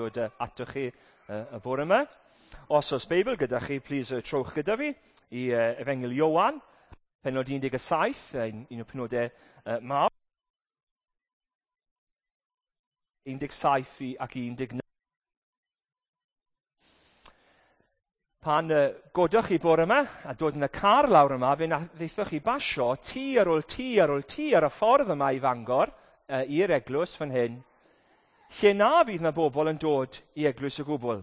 Dod atoch chi y bore yma. Os oes Beibl gyda chi, plis trowch gyda fi i Efengyl Ioan, penod 17, un o'r penodau mawr. 17 ac 19. Pan godoch chi bore yma a dod yn y car lawr yma, fe wnaethoch chi basio tŷ ar ôl tŷ ar ôl tŷ ar y ffordd yma i Fangor, i'r eglwys fan hyn, lle na fydd na bobl yn dod i eglwys o gwbl.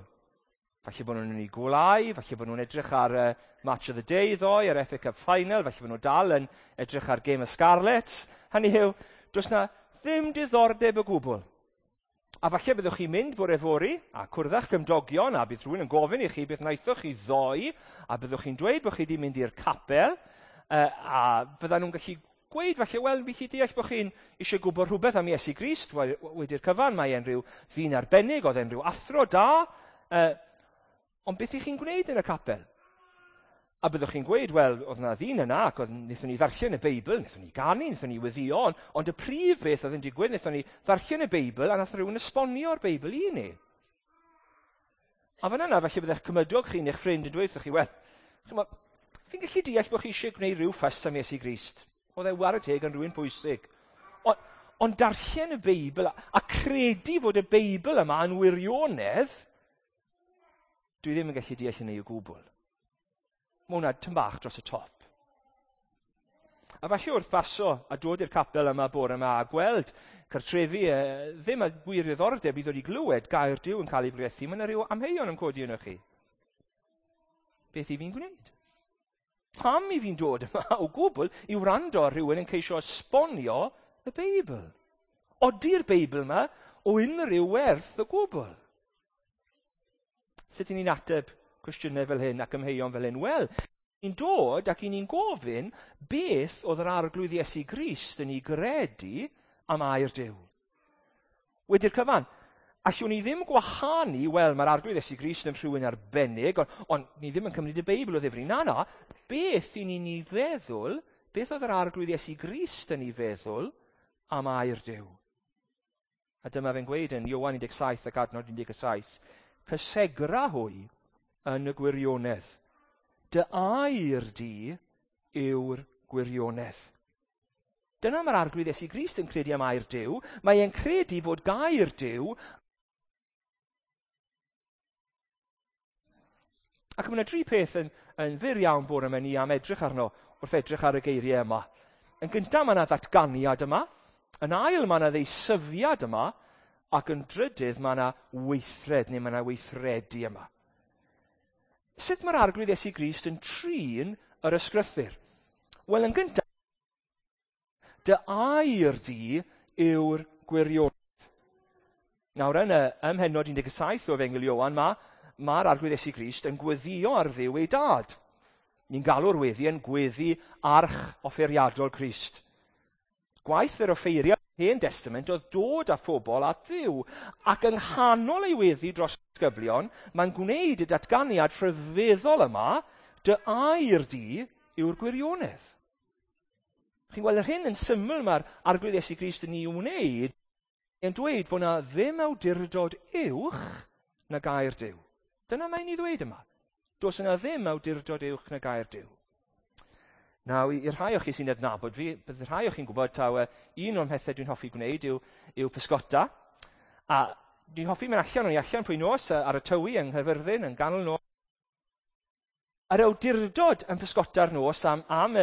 Falle bod nhw'n mynd i gwlau, falle bod nhw'n edrych ar Match of the Day ddoe, ar FA Cup Final, falle bod nhw dal yn edrych ar Game of Scarlets. Hynny yw, does na ddim diddordeb o gwbl. A falle byddwch chi'n mynd bore fory a cwrdd â'ch cymdogion a bydd rhywun yn gofyn i chi beth wnaethoch chi ddoe a byddwch chi'n dweud bod chi wedi mynd i'r capel a fyddan nhw'n gallu gweud falle, wel, fi chi deall bod chi'n eisiau gwybod rhywbeth am Iesu Grist wedi'r cyfan, mae e'n rhyw ddyn arbennig, oedd e'n rhyw athro da, ond beth i chi'n gwneud yn y capel? A byddwch chi'n gweud, wel, oedd yna ddyn yna, ac oedd, wnaethon ni ddarllen y Beibl, wnaethon ni ganu, wnaethon ni weddio, ond y prif beth oedd yn digwydd, wnaethon ni ddarllen y Beibl, a nath rhywun esbonio'r Beibl i ni. A fan yna, falle byddech cymydog chi neu'ch ffrind yn dweud wrthych chi, wel, chymod, fi'n gallu deall bod chi eisiau gwneud rhyw ffys am Iesu Grist. Oedd e ware teg yn rhywun pwysig. Ond darllen y Beibl a credu fod y Beibl yma yn wirionedd, dwi ddim yn gallu deall hynny o gwbl. Mae hwnna tyn bach dros y top. A falle wrth baso a dod i'r capel yma bore yma a gweld cartrefi ddim a gwir ddiddordeb i ddod i glywed gair Duw yn cael ei bregethu, mae yna rhyw amheuon yn codi yno chi. Beth i fi'n gwneud? Pam i fi'n dod yma o gwbl i wrando ar rhywun yn ceisio esbonio y Beibl? Odi'r Beibl yma o unrhyw werth o gwbl? Sut i ni'n ateb cwestiynau fel hyn ac amheuon fel hyn? Wel, ni'n dod ac i ni'n gofyn beth oedd yr Arglwydd Iesu Grist yn ei gredu am air Duw. Wedi'r cyfan, allwn ni ddim gwahanu, wel, mae'r Arglwydd Iesu Grist yn rhywun arbennig, ond ni ddim yn cymryd y Beibl o ddifri. Na, na, beth i ni'n ei feddwl, beth oedd yr Arglwydd Iesu Grist yn ei feddwl am air Duw? A dyma fe'n gweud yn Ioan 17 ac adnod 17, cysegra hwy yn y gwirionedd. Dy air di yw'r gwirionedd. Dyna mae'r Arglwydd Iesu Grist yn credu am air Duw. Mae e'n credu fod gair Duw. Ac mae yna dri peth yn fyr iawn bore yma ni am edrych arno wrth edrych ar y geiriau yma. Yn gyntaf mae yna ddatganiad yma. Yn ail mae yna ddeisyfiad yma. Ac yn drydydd mae yna weithred neu mae yna weithredu yma. Sut mae'r Arglwydd Iesu Grist yn trin yr ysgrythur? Wel, yn gyntaf, dy air di yw'r gwirionedd. Nawr, yn y ym mhennod 17 o Efengyl Ioan, mae'r Arglwydd Iesu Grist yn gweddio ar Dduw ei dad. Ni'n galw'r weddi yn gweddi arch offeiriadol Crist. Gwaith yr offeiriad Hen Testament oedd dod â phobl at Dduw, ac yng nghanol ei weddi dros disgyblion, mae'n gwneud y datganiad rhyfeddol yma, dy air di yw'r gwirionedd. Chi'n gweld yr hyn yn syml mae'r Arglwydd Iesu Grist yn ei wneud, yn dweud bod yna ddim awdurdod uwch na gair Duw. Dyna mae'n ei ddweud yma. Does yna ddim awdurdod uwch na gair Duw. Nawr, i'r rhai o chi sy'n adnabod fi, bydd rhai o chi'n gwybod taw un o'r pethau dwi'n hoffi gwneud yw pysgota. A dwi'n hoffi mynd allan, o'n i allan pwy nos ar y Tywi yng Nghaerfyrddin, yn ganol nos. Yr awdurdod yn pysgota'r nos am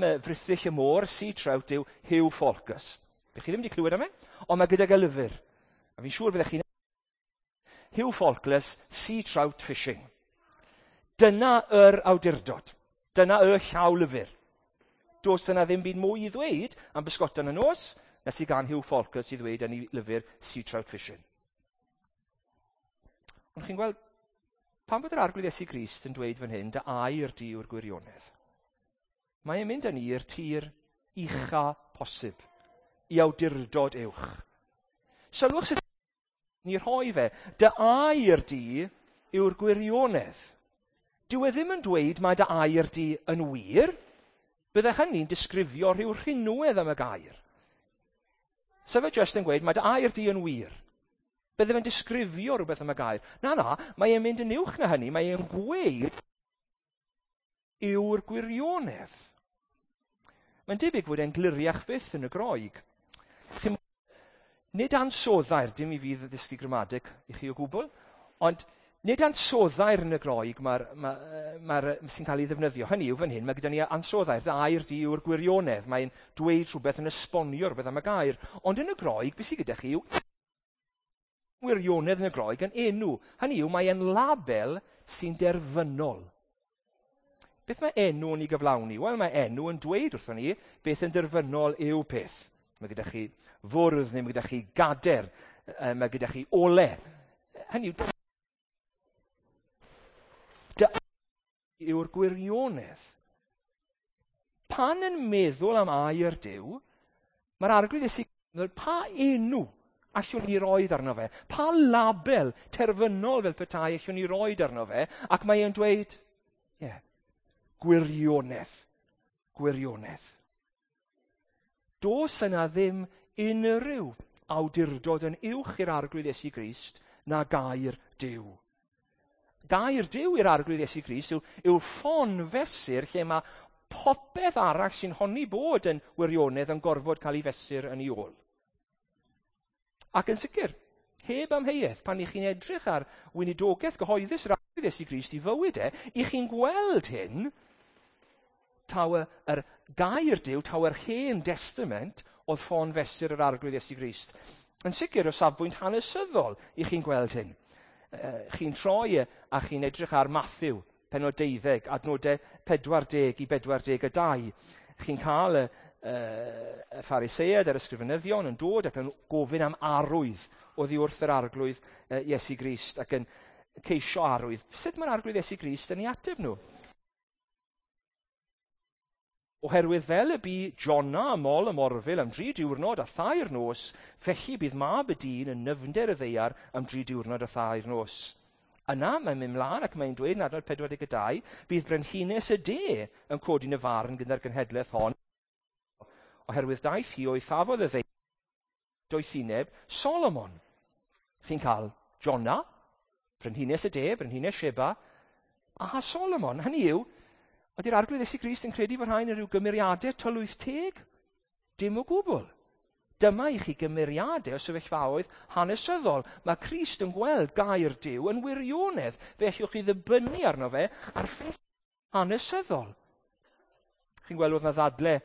y frithyll y môr, sea trout, yw Hugh Falkus. Bych chi ddim wedi clywed am e, ond mae gydag e lyfr. A fi'n siŵr byddech chi'n... Hugh Falkus, Sea Trout Fishing. Dyna yr awdurdod. Dyna y llawlyfr. Does yna ddim byd mwy i ddweud am bysgota yn y nos na sydd gan Hugh Falkus i ddweud yn ei lyfr Sea Trout Fishing. Ond chi'n gweld, pam bod yr Arglwydd Iesu Grist yn dweud fan hyn, dy air di yw'r gwirionedd? Mae e'n mynd â ni i'r tir ucha posib, i awdurdod uwch. Sylwch sut ni rhoi fe, dy air di yw'r gwirionedd. Dyw e ddim yn dweud mae dy air di yn wir, bydde hynny'n disgrifio rhyw rhinwedd am y gair. Sef e jyst yn gweud mae dy air di yn wir. Bydde fe'n disgrifio rhywbeth am y gair. Na, na, mae e'n mynd yn uwch na hynny. Mae e'n gweud yw'r gwirionedd. Mae'n debyg fod e'n gliriach fyth yn y Groeg. Nid ansoddair, dim i fi ddysgu gramadeg i chi o gwbl, ond nid ansoddair yn y Groeg sy'n cael ei ddefnyddio. Hynny yw fan hyn, mae gyda ni ansoddair, dy air di yw'r gwirionedd. Mae'n dweud rhywbeth yn esbonio rhywbeth am y gair. Ond yn y Groeg, beth sydd gyda chi yw wirionedd yn y Groeg yn enw. Hynny yw, mae e'n label sy'n derfynol. Beth mae enw yn ei gyflawni? Wel, mae enw yn dweud wrthon ni beth yn derfynol yw peth. Mae gyda chi fwrdd neu mae gyda chi gader, mae gyda chi ole. Hynny yw, dy yw'r gwirionedd. Pan yn meddwl am air Duw, mae'r Arglwydd Iesu meddwl, pa enw allwn ni roed arno fe? Pa label terfynol fel petai allwn ni roed arno fe? Ac mae e'n dweud, ie, yeah, gwirionedd, gwirionedd. Does yna ddim unrhyw awdurdod yn uwch i'r Arglwydd Iesu Grist na gair Duw. Gair Duw i'r Arglwydd Iesu Grist yw ffon fesur lle mae popeth arall sy'n honni bod yn wirionedd yn gorfod cael ei fesur yn ei ôl. Ac yn sicr, heb amheuaeth, pan i chi'n edrych ar weinidogaeth gyhoeddus yr Arglwydd Iesu Grist i fywyd e, i chi'n gweld hyn, taw yr gair Duw, taw yr Hen Testament oedd ffon fesur yr Arglwydd Iesu Grist. Yn sicr o safbwynt hanesyddol i chi'n gweld hyn. Chi'n troi a chi'n edrych ar Matthew, pennod 12, adnodau 40 i 42. Chi'n cael y Phariseaid a'r ysgrifenyddion yn dod ac yn gofyn am arwydd oddi wrth yr Arglwydd Iesu Grist ac yn ceisio arwydd. Sut mae'r Arglwydd Iesu Grist yn ei ateb nhw? Oherwydd fel y bu Jona ym mol y morfil am 3 diwrnod a 3 nos, felly bydd mab y dyn yn nyfnder y ddaear am 3 diwrnod a 3 nos. Yna mae'n mynd mlaen ac mae'n dweud yn adnod 42, bydd brenhines y de yn codi'n y farn gyda'r genhedlaeth hon, oherwydd daeth hi o'i thafodd y ddaear doethineb Solomon. Chi'n cael Jona, brenhines y de, brenhines Sheba, a Solomon. Hynny yw, ydy'r Arglwydd Iesu Grist yn credu bod rhain yn rhyw gymeriadau tylwyth teg? Dim o gwbl. Dyma i chi gymeriadau o sefyllfaoedd hanesyddol. Mae Crist yn gweld gair Duw yn wirionedd. Fe allwch chi ddibynnu arno fe ar ffeithiau hanesyddol. Chi'n gweld oedd 'na ddadle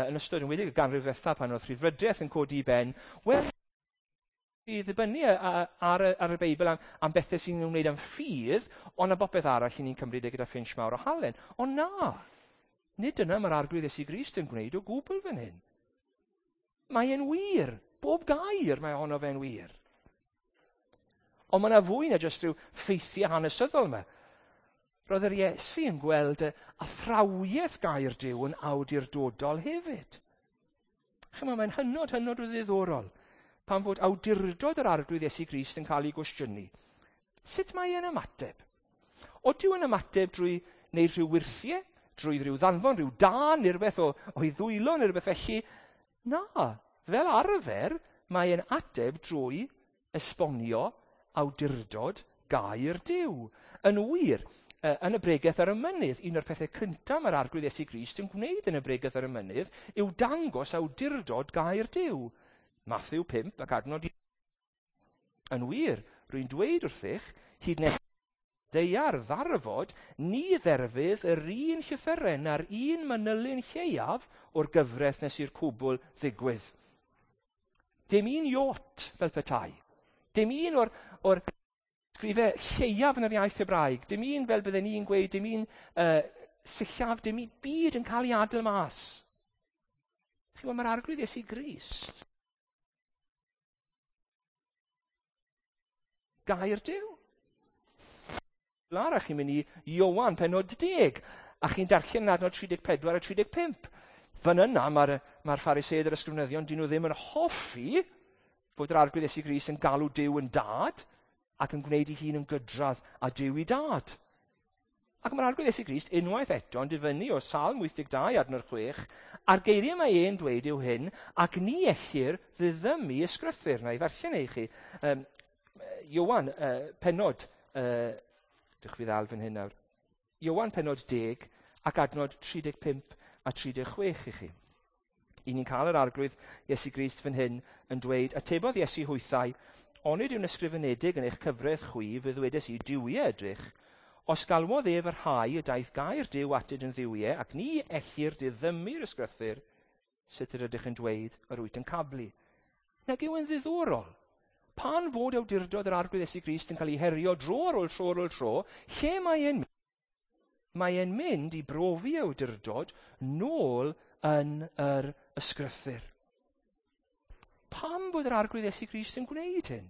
yn ystod yn wedig y ganrif ddiwetha pan oedd rhyddfrydiaeth yn codi i ben. Wel, i ddibynnu ar y Beibl am bethau sy'n ymwneud â'n ffydd, ond am bopeth arall i ni'n cymryd e gyda phinch mawr o halen. Ond na, nid dyna mae'r Arglwydd Iesu Grist yn gwneud o gwbl fan hyn. Mae e'n wir, bob gair mae ohono fe'n wir. Ond mae yna fwy na jyst rhyw ffeithiau hanesyddol yma. Roedd yr Iesu yn gweld y athrawiaeth gair Duw yn awdurdodol hefyd. Chymod, mae'n hynod, hynod o ddiddorol pan fod awdurdod yr Arglwydd Iesu Grist yn cael ei gwestiynu. Sut mae e'n ymateb? Odyw yn ymateb drwy wneud rhyw wyrthiau, drwy rhyw ddanfon, rhyw dân neu rhywbeth o'i ddwylo neu rhywbeth felly? Na, fel arfer mae e'n ateb drwy esbonio awdurdod gair Duw. Yn wir, yn y bregeth ar y mynydd, un o'r pethau cyntaf mae'r Arglwydd Iesu Grist yn gwneud yn y bregeth ar y mynydd yw dangos awdurdod gair Duw. Matthew 5 ac adnod 1. Yn wir, rwy'n dweud wrthych, hyd nes daear ddarfod, ni dderfydd yr un llythyren na'r un manylyn lleiaf o'r gyfraith nes i'r cwbl ddigwydd. Dim un iot fel petai. Dim un o'r sgrifau lleiaf yn yr iaith Hebraeg. Dim un fel bydden ni'n gweud, dim un sillaf, dim un byd yn cael ei adael mas. Chi'n gweld, mae'r Arglwydd Iesu Grist. Gair Duw. Lara, chi'n mynd i Ioan pennod 10, a chi'n darllen yn adnod 34 a 35. Fan yna, mae'r Phariseaid a'r ysgrifenyddion, dyn nhw ddim yn hoffi bod yr Arglwydd Iesu Grist yn galw Duw yn dad ac yn gwneud ei hun yn gydradd a Duw i dad. Ac mae'r Arglwydd Iesu Grist unwaith eto yn difynnu o Salm 82 adnod 6, a'r geiriau mae e'n dweud yw hyn, ac ni ellir ddiddymu ysgrythur. Na i ddarllen e i chi. Iowan penod, dych fi ddal fan hyn nawr, Iowan penod 10 ac adnod 35 a 36 i chi. I ni'n cael yr arglwydd Iesu Grist fan hyn yn dweud, atebodd Iesu hwythau, onid yw'n ysgrifenedig yn eich cyfraith chwi, fe ddwedes i, duwiau ydych, os galwodd ef y rhai y daeth gair Duw atynt yn dduwiau, ac ni ellir diddymu'r ysgrythur, sut yr ydych yn dweud yr wyt yn cablu. Nag yw yn ddiddorol? Pan fod awdurdod yr arglwydd Iesu Grist yn cael ei herio dro ar ôl tro ar ôl tro, lle mae e'n Mae e'n mynd i brofi awdurdod nôl yn yr ysgrythur. Pam bod yr arglwydd Iesu Grist yn gwneud hyn?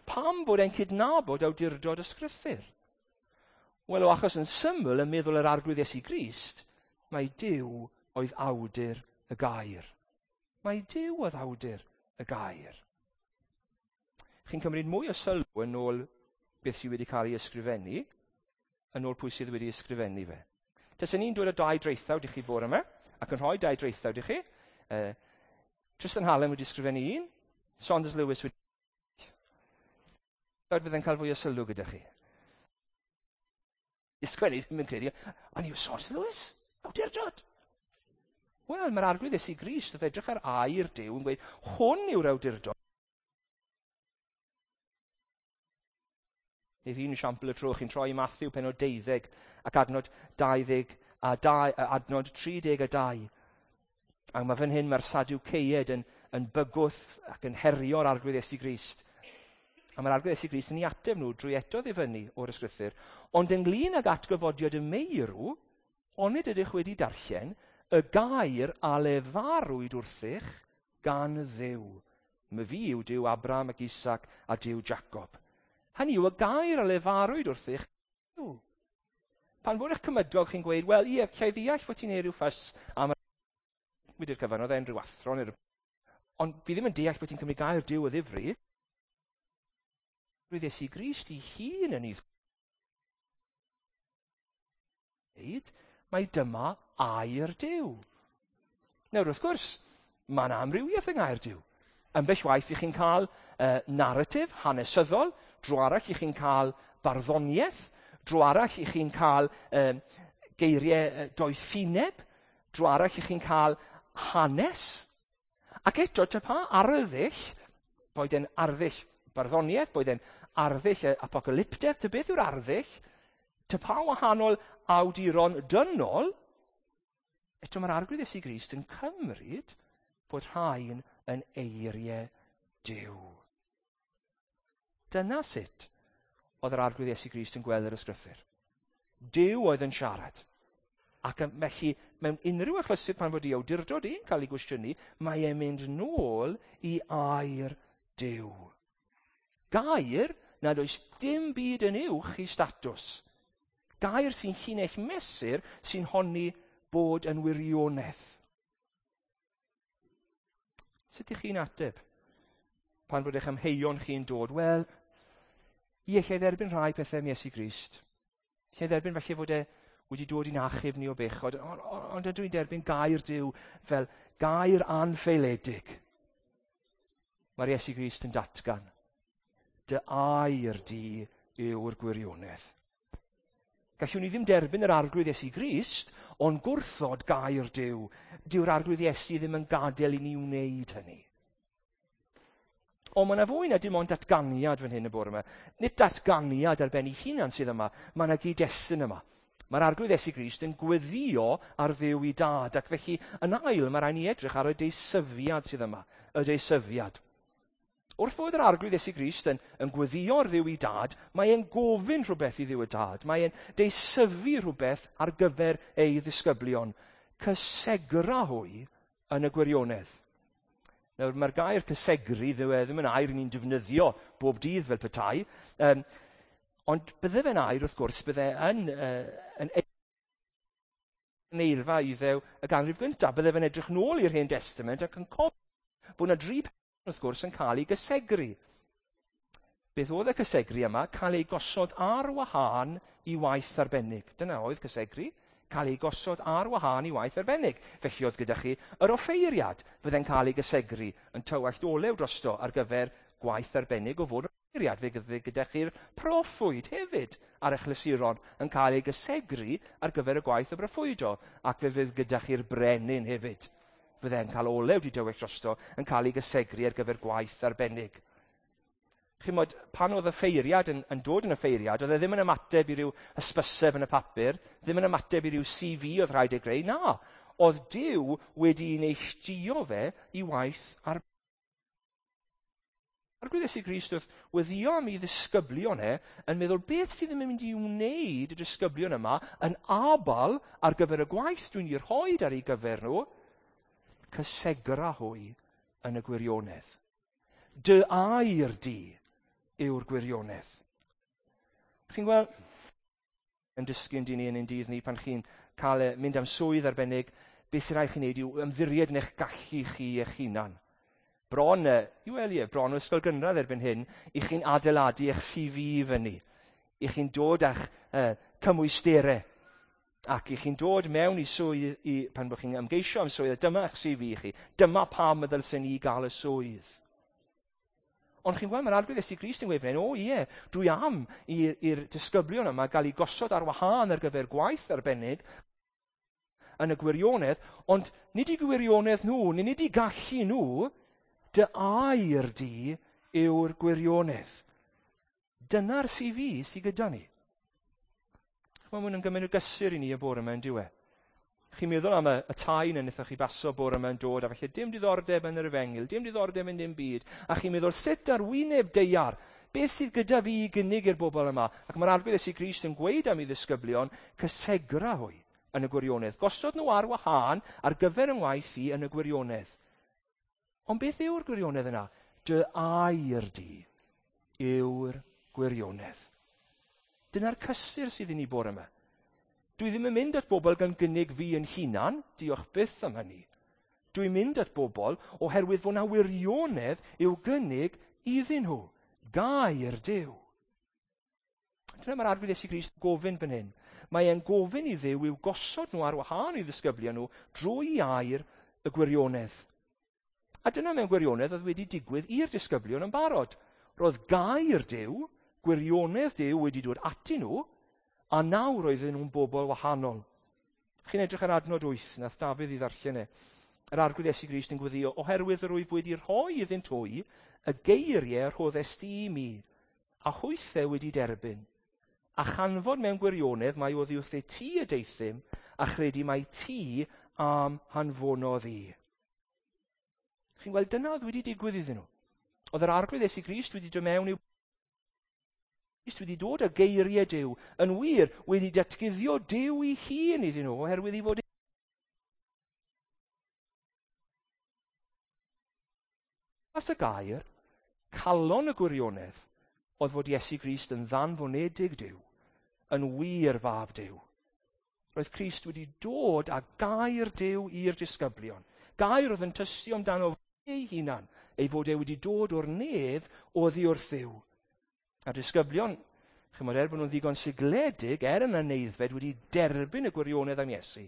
Pam bod e'n cydnabod awdurdod ysgrythur? Wel, o achos yn syml yn meddwl yr arglwydd Iesu Grist, mae Duw oedd awdur y gair. Mae Duw oedd awdur y gair. Chi'n cymryd mwy o sylw yn ôl beth sydd wedi cael ei ysgrifennu, yn ôl pwy sydd wedi ysgrifennu fe. Taswn ni'n dod â dau draethawd i chi bore yma, ac yn rhoi dau draethawd i chi. Tristan Hallam wedi ysgrifennu un, Saunders Lewis wedi... Fydde'n cael fwy o sylw gyda chi. Ysgrifennu, ddim yn credu, ond yw Saunders Lewis? Awdurdod. Wel, mae'r arglwydd Iesu Grist wrth edrych ar air Duw yn gweud, hwn yw'r awdurdod. Nid un esiampl y tro, chi'n troi i Matthew penod 12 ac adnod 22, adnod 32. Ac mae fan hyn mae'r Sadwceied yn bygwth ac yn herio'r arglwydd Iesu Grist. A mae'r arglwydd Iesu Grist yn ei ateb nhw drwy eto ddifynnu o'r ysgrythur. Ond ynglyn ag atgyfodiad y meirw, onid ydych wedi darllen y gair a lefarwyd wrthych gan Dduw. My fi yw Duw Abraham ac Isaac a Duw Jacob. Hynny yw y gair a lefarwyd wrthych. Pan fod eich cymydog chi'n gweud, wel, ie, lle ddeall fod ti'n neud rhyw ffys am wedi'r cyfan, oedd e'n rhyw athro neu rhyw... Ond fi ddim yn deall bod ti'n cymryd gair Duw o ddifri. Roedd Iesu Grist ei hun yn ei ddweud, mae dyma air Duw. Nawr, wrth gwrs, mae yna amrywiaeth yng ngair Duw. Ambell waith i chi'n cael narratif hanesyddol, dro arall i chi'n cael barddoniaeth, dro arall i chi'n cael geiriau doethineb, dro arall i chi'n cael hanes. Ac eto, ta pa arddull, boed e'n arddull barddoniaeth, boed e'n arddull apocalyptedd, ta beth yw'r arddull, ta pa wahanol awduron dynol, eto mae'r arglwydd Iesu Grist yn cymryd bod rhain yn eiriau Duw. Dyna sut oedd yr arglwydd Iesu Grist yn gweld yr ysgrythur. Duw oedd yn siarad. Ac felly, mewn unrhyw achlysur pan fod ei awdurdod e'n cael ei gwestiynu, mae e'n mynd nôl i air Duw. Gair nad oes dim byd yn uwch i statws. Gair sy'n llinell mesur sy'n honni bod yn wirionedd. Sut ych chi'n ateb pan fod eich amheuon chi'n dod? Wel, ie, lle dderbyn rhai pethau am Iesu Grist. Lle dderbyn falle fod e wedi dod i'n achub ni o bechod, ond ydw i'n derbyn gair Duw fel gair anffeiledig. Mae'r Iesu Grist yn datgan, dy air di yw'r gwirionedd. Gallwn ni ddim derbyn yr arglwydd Iesu Grist, ond gwrthod gair Duw. Dyw'r arglwydd Iesu ddim yn gadael i ni wneud hynny. Ond mae yna fwy na dim ond datganiad fan hyn y bore yma. Nid datganiad ar ben ei hunan sydd yma, mae yna gyd-destun yma. Mae'r arglwydd Iesu Grist yn gweddio ar Dduw i dad, ac felly yn ail mae rhaid ni edrych ar y deisyfiad sydd yma, y deisyfiad. Wrth fod yr arglwydd Iesu Grist yn gweddio ar Dduw i dad, mae e'n gofyn rhywbeth i Dduw y dad. Mae e'n deisyfu rhywbeth ar gyfer ei ddisgyblion. Cysegra hwy yn y gwirionedd. Nawr, mae'r gair cysegru ddim yn air ni'n defnyddio bob dydd fel petai, ond bydde fe'n air, wrth gwrs, bydde yn eirfa Iddew y ganrif gyntaf. Bydde fe'n edrych nôl i'r Hen Testament ac yn cofio bod yna dri peth, wrth gwrs, yn cael ei gysegru. Beth oedd y cysegru yma? Cael ei gosod ar wahân i waith arbennig. Dyna oedd cysegru. Cael ei gosod ar wahân i waith arbennig. Felly oedd gyda chi yr offeiriad fydde'n cael ei gysegru yn tywallt olew drosto ar gyfer gwaith arbennig o fod. Geiriad, fe fydd gyda chi'r proffwyd hefyd ar eich lysuron yn cael ei gysegru ar gyfer y gwaith o broffwydo, ac fe fydd gyda chi'r brenin hefyd. Fydde'n cael olew di dywell drosto yn cael ei gysegru ar gyfer gwaith arbennig. Chimod, pan oedd y ffeiriad yn dod yn y ffeiriad, oedd e ddim yn ymateb i ryw hysbyseb yn y papur, ddim yn ymateb i ryw CV oedd rhaid ei greu, na. Oedd Duw wedi neilltuo fe i waith ar Arglwydd Iesu Grist wrth weddio am ei ddisgyblion e, yn meddwl beth sydd yn mynd i wneud y disgyblion yma yn abal ar gyfer y gwaith dwi'n ei rhoi ar ei gyfer nhw, cysegra hwy yn y gwirionedd. Dy air di yw'r gwirionedd. Chi'n gweld, yn dysgu yn dyn ni yn ein dydd ni pan chi'n cael mynd am swydd arbennig, beth sy'n rhaid chi wneud yw ymddiried yn eich gallu chi eich hunan. Bron, i wel ie, bron o ysgol gynradd erbyn hyn, i chi'n adeiladu eich CV fyny. I chi'n dod â'ch cymwysterau. Ac i chi'n dod mewn i swydd, pan bod chi'n ymgeisio am swydd, dyma eich CV chi. Dyma pam y ddylsen ni gael y swydd. Ond chi'n gweld, mae'r Arglwydd Iesu Grist yn gweud fan hyn, o ie, dwi am i'r disgyblion yma gael eu gosod ar wahân ar gyfer gwaith arbennig yn y gwirionedd, ond nid i gwirionedd nhw, nid i gallu nhw, dy air di yw'r gwirionedd. Dyna'r CV sydd gyda ni. Mae hwn yn gymaint o gysur i ni y bore yma yn diwe. Chi'n meddwl am y tai na wnaethoch chi baso bore yma yn dod, a falle dim diddordeb yn yr efengyl, dim diddordeb yn dim byd, a chi'n meddwl sut ar wyneb daear, beth sydd gyda fi i gynnig i'r bobl yma? Ac mae'r Arglwydd Iesu Grist yn gweud am ei ddisgyblion, cysegra hwy yn y gwirionedd. Gosod nhw ar wahân ar gyfer yng ngwaith i yn y gwirionedd. Ond beth yw'r gwirionedd yna? Dy air di yw'r gwirionedd. Dyna'r cysur sydd i ni bore yma. Dwi ddim yn mynd at bobl gan gynnig fi yn hunan, diolch byth am hynny. Dwi'n mynd at bobl oherwydd fod 'na wirionedd i'w gynnig iddyn nhw. Gair Duw. Dyna mae'r Arglwydd Iesu Grist gofyn fan hyn. Mae e'n gofyn i Dduw i'w gosod nhw ar wahân i ddisgyblion nhw drwy air y gwirionedd. A dyna mewn gwirionedd oedd wedi digwydd i'r disgyblion yn barod. Roedd gair Duw, gwirionedd Duw wedi dod atyn nhw, a nawr oedden nhw'n bobl wahanol. Chi'n edrych ar adnod 8, nath Dafydd i ddarllen e. Yr Arglwydd Iesu Grist yn gweddio, oherwydd yr wyf wedi rhoi iddynt hwy y geiriau rhoddest ti i mi, a hwythau wedi derbyn. A chanfod mewn gwirionedd mai oddi wrthyt ti y deuthum, a chredu mai ti am hanfonodd i. Chi'n gweld, dyna oedd wedi digwydd iddyn nhw. Oedd yr Arglwydd Iesu Grist wedi dod mewn i'w Grist wedi dod â geiriau Duw, yn wir wedi datguddio Duw ei hun iddyn nhw, oherwydd ei fod As y gair, calon y gwirionedd, oedd fod Iesu Grist yn ddanfonedig Duw, yn wir fab Duw. Roedd Crist wedi dod â gair Duw i'r disgyblion. Gair oedd yn tystio amdano ei hunan, ei fod e wedi dod o'r nef oddi wrth Dduw. A'r disgyblion, chimod, er bod nhw'n ddigon sigledig, er yn aneddfed, wedi derbyn y gwirionedd am Iesu.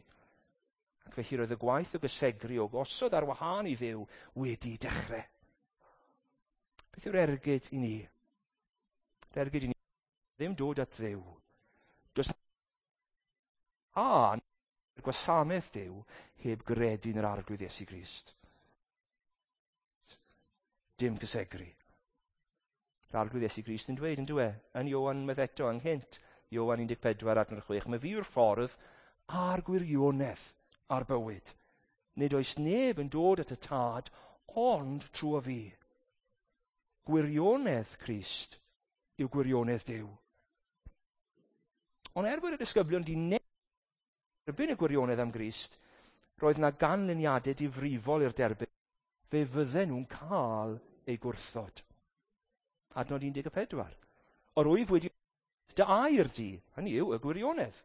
Ac felly roedd y gwaith o gysegru, o gosod ar wahân i Dduw, wedi dechrau. Beth yw'r ergyd i ni? Yr ergyd i ni ddim dod at Dduw. Does a gwasanaeth Duw heb gredu yn yr Arglwydd Iesu Grist. Dim cysegru. Yr Arglwydd Iesu Grist yn dweud, yn dweud, yn Ioan unwaith eto, ynghynt, Ioan 14 adnod 6, mae fi yw'r ffordd a'r gwirionedd a'r bywyd. Nid oes neb yn dod at y Tad, ond trwy fi. Gwirionedd Crist yw gwirionedd Duw. Ond er bod y disgyblion di derbyn y gwirionedd am Grist, roedd na ganlyniadau difrifol i'r derbyn. Fe fydden nhw'n cael eu gwrthod. Adnod 14. Yr wyf wedi dy air di, hynny yw, y gwirionedd,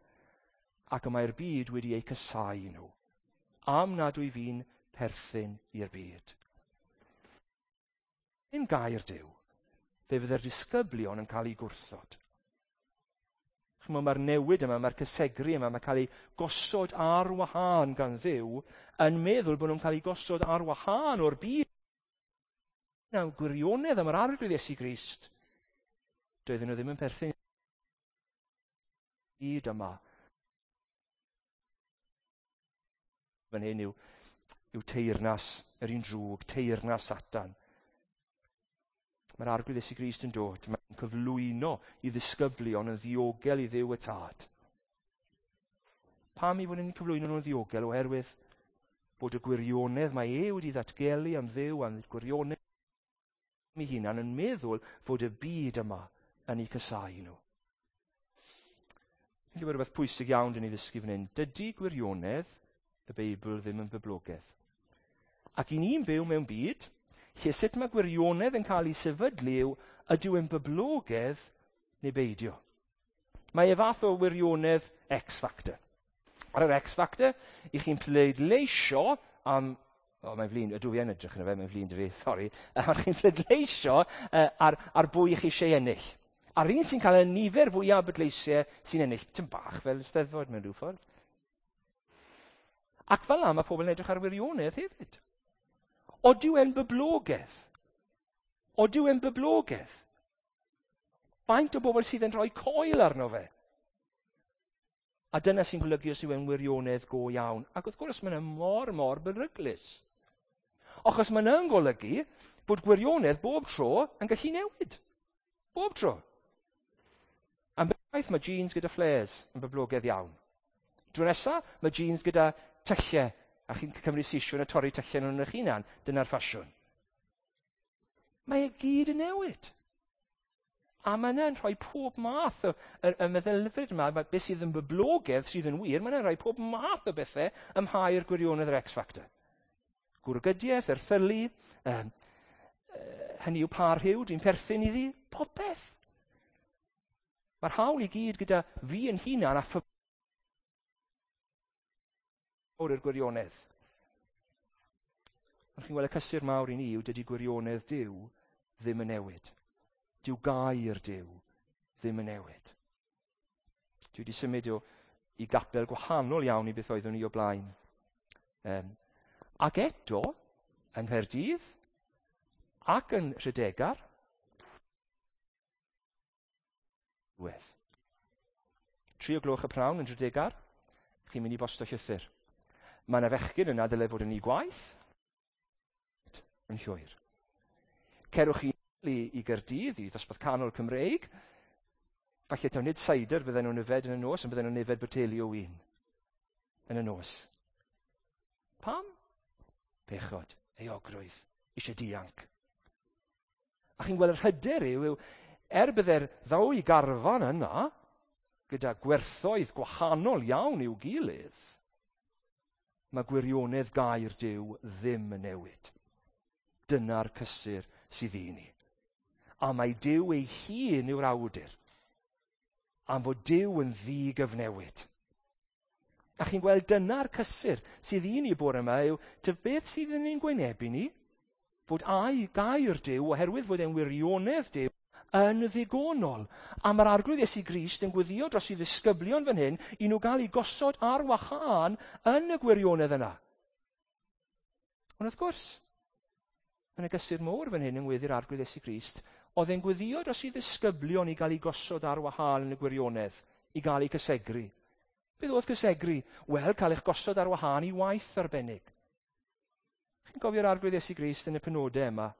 ac y mae'r byd wedi eu casáu nhw, am nad wyf fi'n perthyn i'r byd. Yn gair Duw, fe fydde'r disgyblion yn cael eu gwrthod. Chimod, mae'r newid yma, mae'r cysegru yma, mae'n cael ei gosod ar wahân gan Dduw, yn meddwl bod nhw'n cael eu gosod ar wahân o'r byd. Nawr, gwirionedd am yr Arglwydd Iesu Grist, Doedden nhw ddim yn perthyn byd yma. Fan hyn yw, yw teyrnas yr un drwg, teyrnas Satan. Mae'r Arglwydd Iesu Grist yn dod. Mae'n cyflwyno i ddisgyblion yn ddiogel i Dduw y Tad. Pam i fod yn cyflwyno nhw'n ddiogel? Oherwydd bod y gwirionedd mae e wedi ddatgelu am Dduw a'n gwirionedd ei hunan yn meddwl fod y byd yma yn eu casáu nhw. Fi'n gwybod rhywbeth pwysig iawn dyn ni ddysgu fan hyn. Dydy gwirionedd y Beibl ddim yn boblogaidd. Ac i ni'n byw mewn byd lle sut mae gwirionedd yn cael ei sefydlu yw ydyw e'n boblogaidd neu beidio. Mae e fath o wirionedd X Factor. Ar yr X Factor, i chi'n pleidleisio am... O, mae'n flin, ydw fi yn edrych yn y fe, mae'n flin dy fi, sori. Ar chi'n pleidleisio ar, ar bwy chi eisiau ennill. A'r un sy'n cael y nifer fwyaf o bleidleisiau sy'n ennill, tym bach fel Steddfod mewn rhyw ffordd. Ac fel yna mae pobl yn edrych ar wirionedd hefyd. Odyw e'n boblogaidd? Odyw e'n boblogaidd? Faint o bobl sydd yn rhoi coel arno fe? A dyna sy'n golygu os yw e'n wirionedd go iawn. Ac wrth gwrs mae'n mor, mor beryglus. Achos mae'n yn golygu bod gwirionedd bob tro yn gallu newid. Bob tro. Am beth mae jeans gyda flares yn boblogaidd iawn. Dro nesa, mae jeans gyda tyllau, a chi'n cymryd sisiwn a torri tyllau nhw'n eich hunan. Dyna'r ffasiwn. Mae e gyd yn newid. A mae yna'n rhoi pob math o, y, y meddylfryd yma, mae beth sydd yn boblogaidd sydd yn wir, mae yna'n rhoi pob math o bethau ym mhair gwirionedd yr X Factor. Gwrgydiaeth, erthylu, um, hynny yw pa rhyw dwi'n perthyn iddi, popeth. Mae'r hawl i gyd gyda fi yn hunan a mawr i'r gwirionedd. Ond chi'n gweld y cysur mawr i ni yw dydy gwirionedd Duw ddim yn newid. Dyw gair Duw ddim yn newid. Dwi wedi symud o, i gapel gwahanol iawn i beth oeddwn i o blaen. Um, ac eto, yng Nghaerdydd ac yn Rhydegar, Wedd. 3 o gloch y prawn yn Rhydegar, chi'n mynd i bosto llythyr. Mae yna fechgyn yna dyle fod yn ei gwaith yn llwyr. Cerwch chi i, i Gyrdydd, i ddosbarth canol Cymreig, falle taw nid cider bydden nhw'n yfed yn y nos, ond bydden nhw'n yfed boteli o win yn y nos. Pam? Pechod, euogrwydd, eisiau dianc. A chi'n gweld yr hyder yw, yw er bydde'r ddwy garfan yna, gyda gwerthoedd gwahanol iawn i'w gilydd, mae gwirionedd gair Duw ddim yn newid. Dyna'r cysur sydd i ni. A mae Duw ei hun yw'r awdur. Am fod Duw yn ddigyfnewid. A chi'n gweld dyna'r cysur sydd i ni bore yma yw, ty beth sydd yn ein gwynebu ni? Fod ai gair Duw, oherwydd fod e'n wirionedd Duw, yn ddigonol. A mae'r Arglwydd Iesu Grist yn gweddio dros i ddisgyblion fan hyn i nhw gael eu gosod ar wahân yn y gwirionedd yna. Ond wrth gwrs, yn y gysur mowr fan hyn yng ngweddi'r Arglwydd Iesu Grist, oedd e'n gweddio dros i ddisgyblion i gael eu gosod ar wahân yn y gwirionedd, i gael eu cysegru. Beth oedd cysegru? Wel, cael eich gosod ar wahân i waith arbennig. Chi'n cofio'r Arglwydd Iesu Grist yn y penodau yma?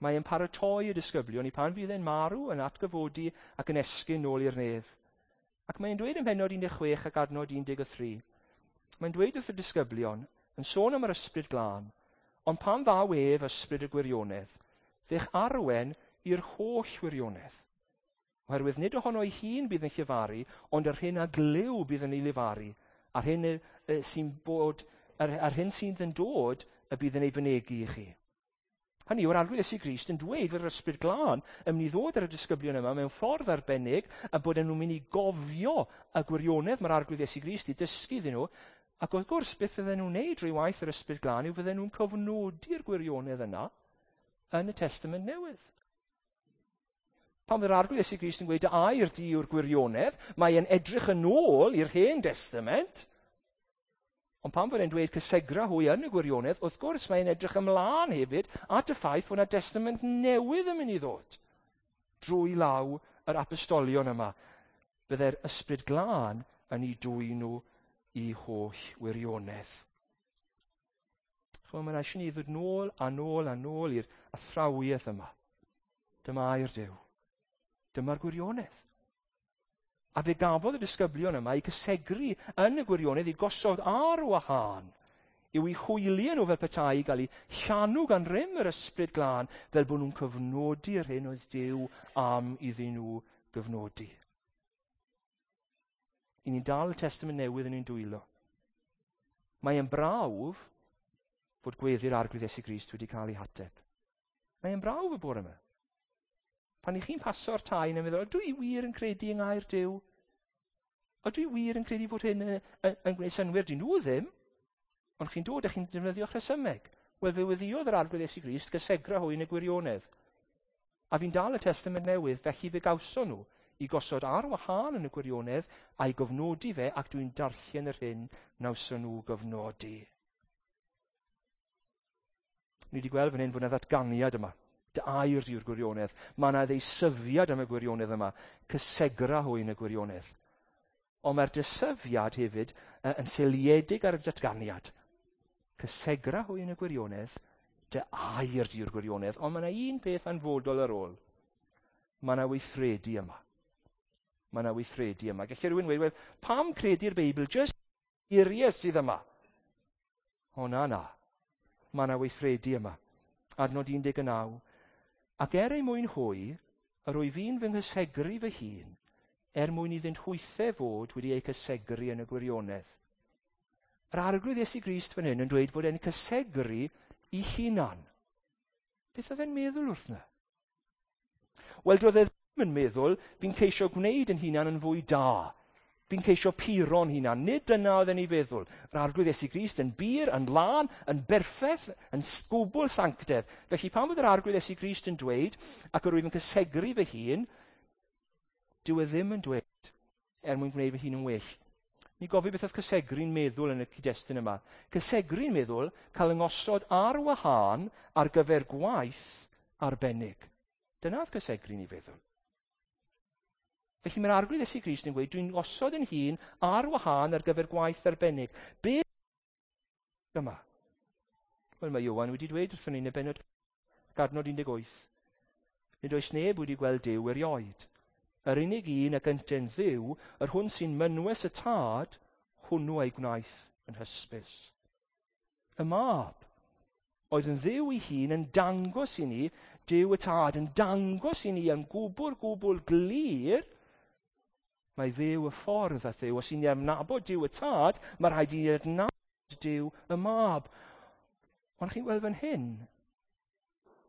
Mae e'n paratoi y disgyblion i pan fydd e'n marw, yn atgyfodi ac yn esgyn nôl i'r nef. Ac mae'n dweud ym mhennod 16 ac adnod 13. Mae'n dweud wrth y disgyblion, yn sôn am yr ysbryd glân, ond pan ddaw ef ysbryd y gwirionedd, fe'ch arwen i'r holl wirionedd. Oherwydd nid ohono ei hun bydd yn llefaru, ond yr hyn a glyw bydd yn ei lefaru, a'r hyn sy'n bod, a'r, a'r hyn sydd yn dod y bydd yn ei fynegi i chi. Hynny yw'r Arglwydd Iesu Grist yn dweud fod yr ysbryd glân yn mynd i ddod ar y disgyblion yma mewn ffordd arbennig a bod nhw'n mynd i gofio y gwirionedd mae'r Arglwydd Iesu Grist i dysgu iddyn nhw. Ac wrth gwrs, beth fydden nhw'n neud drwy waith yr ysbryd glân yw fydden nhw'n cofnodi'r gwirionedd yna yn y Testament Newydd. Pan mae'r Arglwydd Iesu Grist yn gweud air di yw'r gwirionedd, mae e'n edrych yn ôl i'r Hen Testament. Ond pan fod e'n dweud cysegra hwy yn y gwirionedd, wrth gwrs mae'n edrych ymlaen hefyd at y ffaith fod yna testament newydd yn mynd i ddod drwy law yr apostolion yma. Byddai'r Ysbryd Glân yn ei dwyn nhw i holl wirionedd. Chymod, mae'n eisiau ni ddod nôl a nôl a nôl i'r athrawiaeth yma. Dyma air Duw. Dyma'r gwirionedd. A fe gafodd y disgyblion yma eu cysegru yn y gwirionedd, i gosod ar wahân, i'w eu hwyliau nhw fel petai i gael eu llanw gan rym yr Ysbryd Glân, fel bod nhw'n cyfnodi'r hyn oedd Duw am iddyn nhw gyfnodi. I ni'n dal y Testament Newydd yn ein dwylo. Mae e'n brawf fod gweddi'r Arglwydd Iesu Grist wedi cael ei hateb. Mae e'n brawf y bore yma. Pan i chi'n paso'r tai yn meddwl, ydw i wir yn credu yng ngair Duw? Ydw i wir yn credu bod hyn yn, yn, yn gwneud synnwyr? Dyn nhw ddim. Ond chi'n dod a chi'n defnyddio'ch rhesymeg. Wel, fe weddïodd yr Arglwydd Iesu Grist gysegra hwy yn y gwirionedd. A fi'n dal y Testament Newydd, felly fe gawson nhw i gosod ar wahân yn y gwirionedd a'i gofnodi fe, ac dwi'n darllen yr hyn nawson nhw gyfnodi. Ni wedi gweld fan hyn fod yna ddatganiad yma. Dy air di yw'r gwirionedd. Mae yna ddeisyfiad am y gwirionedd yma. Cysegra hwy yn y gwirionedd. Ond mae'r dysyfiad hefyd yn seiliedig ar y datganiad. Cysegra hwy yn y gwirionedd, dy air di yw'r gwirionedd. Ond mae yna un peth anfodol ar ôl. Mae yna weithredu yma. Mae yna weithredu yma. Gallai rhywun weud, wel, pam credu'r Beibl? Just geiriau sydd yma. O na, na. Mae yna weithredu yma. Adnod 19. Ac er ei mwyn hwy, yr wyf fi'n fy nghysegru fy hun, er mwyn iddynt hwythau fod wedi eu cysegru yn y gwirionedd. Yr Arglwydd Iesu Grist fan hyn yn dweud fod e'n cysegru i hunan. Beth oedd e'n meddwl wrth na? Wel, doedd e ddim yn meddwl, fi'n ceisio gwneud yn hunan yn fwy da. Fi'n ceisio puro'n hunan. Nid dyna oedd e'n ei feddwl. Yr Arglwydd Iesu Grist yn bur, yn lân, yn berffaith, yn gwbl sanctedd. Felly pan bod yr Arglwydd Iesu Grist yn dweud, ac yr wyf yn cysegru fy hun, dyw e ddim yn dweud er mwyn gwneud fy hun yn well. Ni gofio beth oedd cysegru'n meddwl yn y cyd-destun yma. Cysegru'n meddwl cael yngosod ar wahân ar gyfer gwaith arbennig. Dyna oedd cysegru'n ei feddwl. Felly mae'r Arglwydd Iesu Grist yn gweud, dwi'n osod yn hun ar wahân ar gyfer gwaith arbennig. Be yma? Wel, mae Ioan wedi dweud wrthon ni yn y bennod adnod 18. Nid oes neb wedi gweld Duw erioed. Yr unig un a gynten Dduw, yr hwn sy'n mynwes y Tad, hwnnw ei gwnaeth yn hysbys. Y Mab oedd yn Dduw ei hun yn dangos i ni, Duw y Tad yn dangos i ni yn gwbl gwbl glir, mae Dduw y ffordd a Dduw. Os i ni adnabod Duw y Tad, mae rhaid i ni adnabod Duw y Mab. Ond chi'n gweld fan hyn,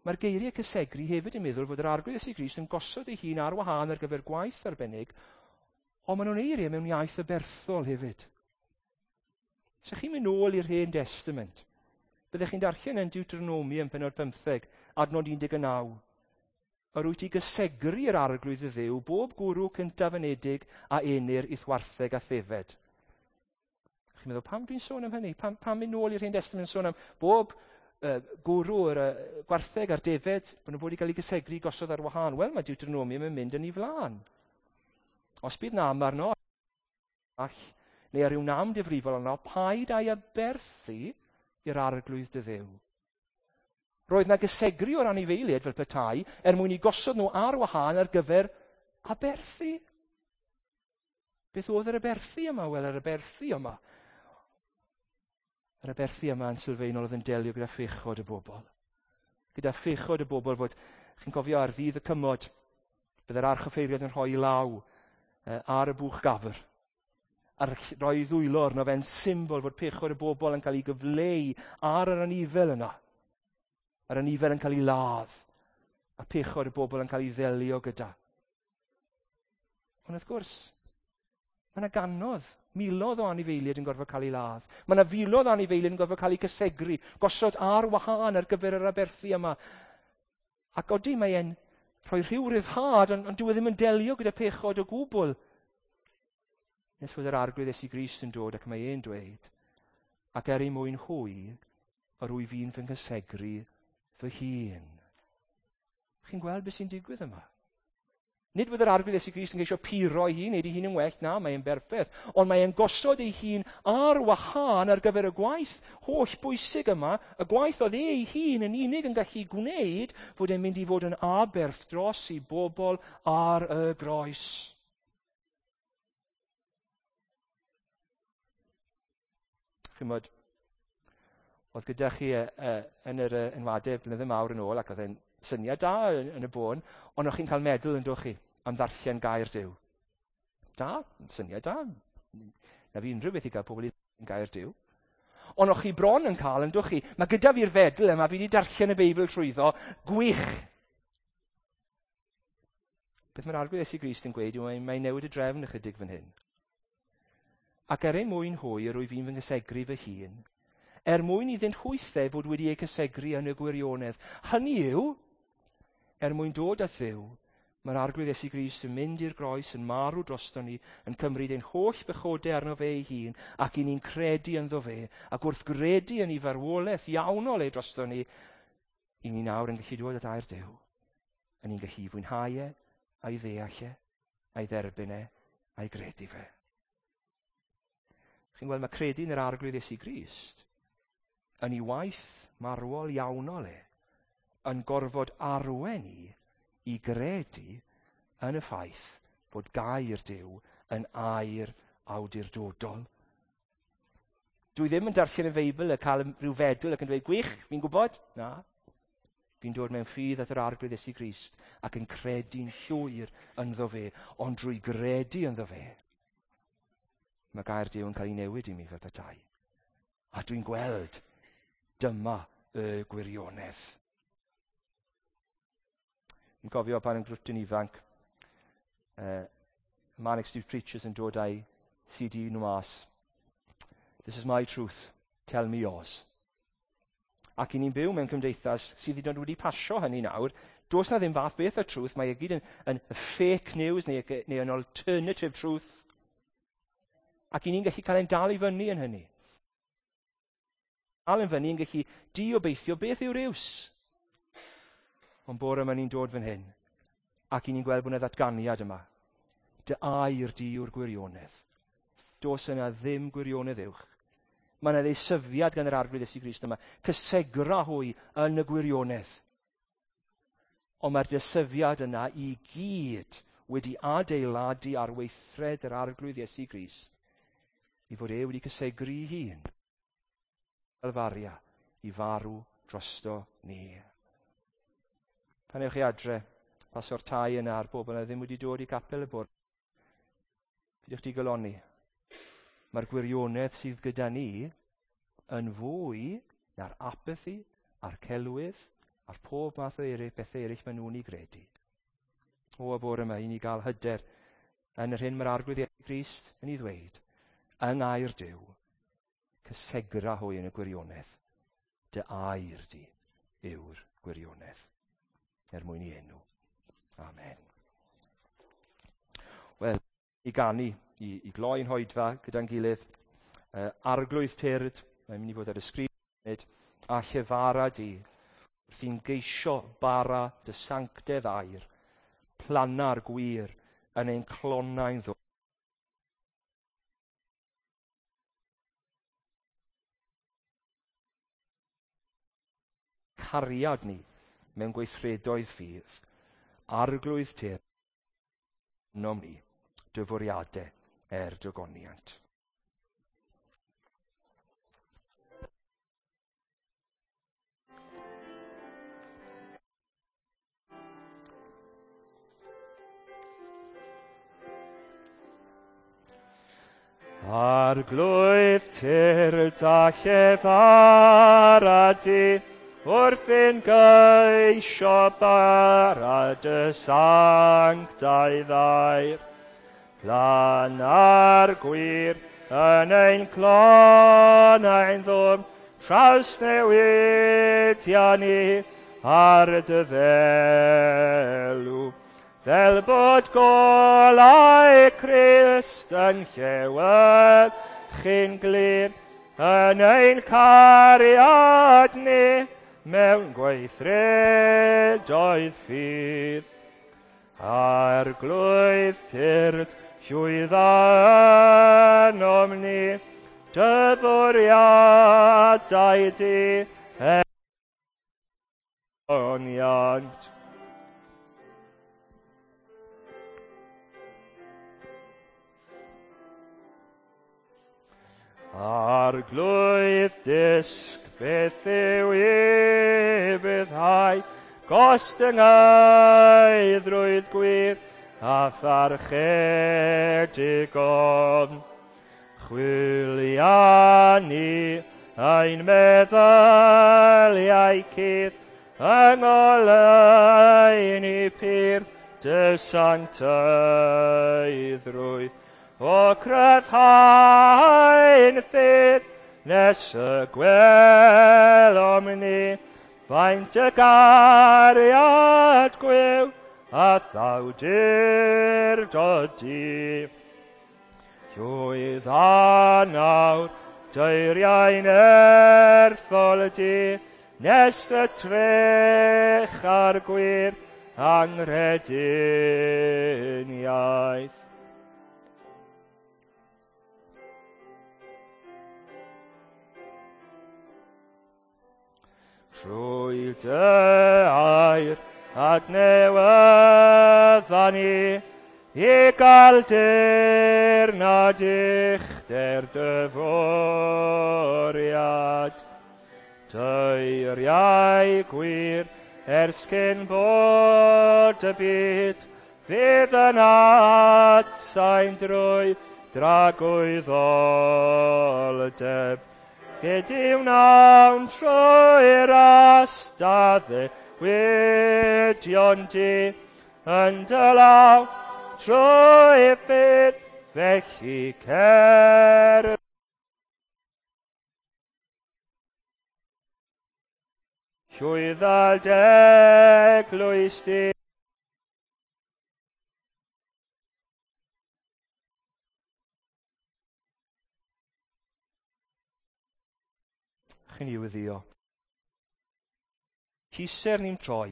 mae'r geiriau cysegru hefyd yn meddwl fod yr Arglwydd Iesu Grist yn gosod ei hun ar wahân ar gyfer gwaith arbennig, ond maen nhw'n eiriau mewn iaith aberthol hefyd. So chi'n mynd nôl i'r Hen Testament, byddech chi'n darllen yn Deuteronomy yn pennod 15, adnod 19. Yr wyt ti gysegru yr Arglwydd y Dduw, bob gwrw cyntaf anedig a enir i'th wartheg a thefed. Chi'n meddwl, pam dwi'n sôn am hynny? Pam, pam mynd nôl i'r Hen Testament yn sôn am bob gwrw yr gwartheg a'r defed, bod nhw'n bod i gael ei gysegru gosod ar wahân? Wel, mae Deuteronomium yn mynd yn ei flaen. Os bydd nam arno, all, neu ar ryw nam difrifol arno, paid â'i aberthu i'r Arglwydd dy Dduw. Roedd na gysegru o'r anifeiliaid fel petai er mwyn i gosod nhw ar wahân ar gyfer aberthu. Beth oedd yr aberthu yma? Wel, yr aberthu yma. Yr aberthu yma yn sylfaenol oedd yn delio gyda phechod y bobl. Gyda phechod y bobl fod, chi'n cofio ar ddydd y cymod, byddai'r archoffeiriad yn rhoi law ar y bwch gafr. A rhoi ddwylo arno fe'n symbol fod pechod y bobl yn cael ei gyfleu ar yr anifel yna. Yr anifel yn cael ei ladd, a pechod y bobl yn cael ei ddelio gyda. Ond wrth gwrs, mae yna gannoedd, miloedd o anifeiliaid yn gorfod cael ei ladd. Mae yna filoedd o anifeiliaid yn gorfod cael eu cysegru, gosod ar wahân ar gyfer yr aberthu yma. Ac odi, mae e'n rhoi rhyw ryddhad, ond dyw e ddim yn delio gyda pechod o gwbl. Nes fod yr Arglwydd Iesu Grist yn dod ac mae e'n dweud, ac er ei mwyn hwy, yr wyf fi'n fy nghysegru fy hun. Chi'n gweld beth sy'n digwydd yma? Nid bod yr Arglwydd Iesu Grist yn ceisio puro ei hun, neud ei hun yn well, na, mae'n berffaith. Ond mae'n gosod ei hun ar wahân ar gyfer y gwaith holl bwysig yma, y gwaith oedd ei hun yn unig yn gallu gwneud, fod e'n mynd i fod yn aberth dros i bobl ar y groes. Chimod, oedd gyda chi yn yr enwadau blynydde mawr yn ôl, ac oedd e'n syniad da yn y bôn, ond o'ch chi'n cael meddwl yn dod chi am ddarllen gair Duw. Da, syniad da. Na fi unrhyw beth i gael pobl i gair Duw. Ond o'ch chi bron yn cael, yn dwch chi, mae gyda fi'r fedl yma, fi wedi darllen y Beibl trwyddo, gwych. Beth mae'r Arglwydd Iesu Grist yn gweud yw mae'n newid y drefn ychydig fan hyn. Ac er ei mwyn hwy, yr wyf fi'n fy nghysegru fy hun, er mwyn iddynt hwythau fod wedi eu cysegru yn y gwirionedd. Hynny yw, er mwyn dod at Dduw, mae'r Arglwydd Iesu Grist yn mynd i'r groes, yn marw drosto ni, yn cymryd ein holl bechodau arno fe ei hun, ac i ni'n credu ynddo fe, ac wrth gredu yn ei farwolaeth iawnol e drosto ni, i ni nawr yn gallu dod at air Duw. A ni'n gallu fwynhau e, a'i ddeall e, a'i dderbyn e, a'i gredu fe. Chi'n gweld, mae credu yn yr Arglwydd Iesu Grist yn ei waith marwol iawnol e, yn gorfod arwen ni i gredu yn y ffaith bod gair Duw yn air awdurdodol. Dwi ddim yn darllen y Feibl a cael rhyw fedl ac yn dweud, gwych, fi'n gwybod. Na. Fi'n dod mewn ffydd at yr Arglwydd Iesu Grist ac yn credu'n llwyr ynddo fe, ond drwy gredu ynddo fe, mae gair Duw yn cael ei newid i mi fel petai. A dwi'n gweld dyma y gwirionedd. Fi'n cofio pan yn grwtyn ifanc, Manic Street Preachers yn dod â'i CD nhw mas. This is my truth, tell me yours. Ac i ni'n byw mewn cymdeithas sydd hyd yn oed wedi pasio hynny nawr, does na ddim fath beth o truth, mae e gyd yn fake news neu yn alternative truth. Ac i ni'n gallu cael ein dal i fyny yn hynny. Dal yn fyny yn gallu diobeithio beth yw'r iws. Ond bore yma ni'n dod fan hyn, ac i ni'n gweld bod yna ddatganiad yma. Dy air di yw'r gwirionedd. Does yna ddim gwirionedd uwch. Mae yna ddeisyfiad gan yr Arglwydd Iesu Grist yma. Cysegra hwy yn y gwirionedd. Ond mae'r deisyfiad yna i gyd wedi adeiladu ar weithred yr Arglwydd Iesu Grist i fod e wedi cysegru ei hun. Calfaria i farw drosto ni. Pan ewch chi adre, pasio'r tai yna a'r bobl yna ddim wedi dod i capel y bwrdd. Peidiwch digalonni. Mae'r gwirionedd sydd gyda ni yn fwy na'r apathy, a'r celwydd, a'r pob math o eraill, bethau eraill maen nhw'n ei gredu. O, y bore yma, i ni gael hyder yn yr hyn mae'r Arglwydd Iesu Grist yn ei ddweud, yng ngair Duw, cysegra hwy yn y gwirionedd. Dy air di yw'r gwirionedd. Er mwyn i enw. Amen. Wel, i ganu, i gloi'n hoedfa gyda'n gilydd, Arglwydd tyrd, mae'n mynd i fod ar y sgrin, a llefara di, wrth i'n geisio bara dy sanctedd air, planna'r gwir yn ein clonau'n ddwy. Cariad ni mewn gweithredoedd ffydd, Arglwydd tyrd, nom ni, dy fwriadau er dygoniant. Arglwydd tyrd a llefara di, wrth ein geisio bara dy sanctaidd air. Planna'r gwir yn ein clonau'n ddwfn, trawsnewidia ni ar dy ddelw. Fel bod golau Crist yn llewyrchu'n glir yn ein cariad ni mewn gweithredoedd ffydd. Arglwydd tyrd, llwydda ynom ni, dy fwriadau di ogoniant. Arglwydd dysg beth yw ufuddhau, gostyngeiddrwydd gwir a pharchedig ofn. Chwilia ni ein meddyliau cudd, yng ngoleuni pur dy sancteiddrwydd. O cryfhau'n ffydd nes y gwelom ni, faint y gariad gwiw a thawdurdod di. Llwydda nawr deiriau'n erthol di, nes y trech ar gwir anghrediniaeth. Trwy dy air adnewydda ni, i gael dirnad uchder dy fwriad. Teiriau gwir ers cyn bod y byd, fydd yn atsain drwy dragwyddoldeb. Gedy wnawn trwy'r astad ddewidion di yn dy law trwy ffydd, felly cer. Llwydda d'eglwys di. Chi'n i wyddio. Hiser ni'n troi.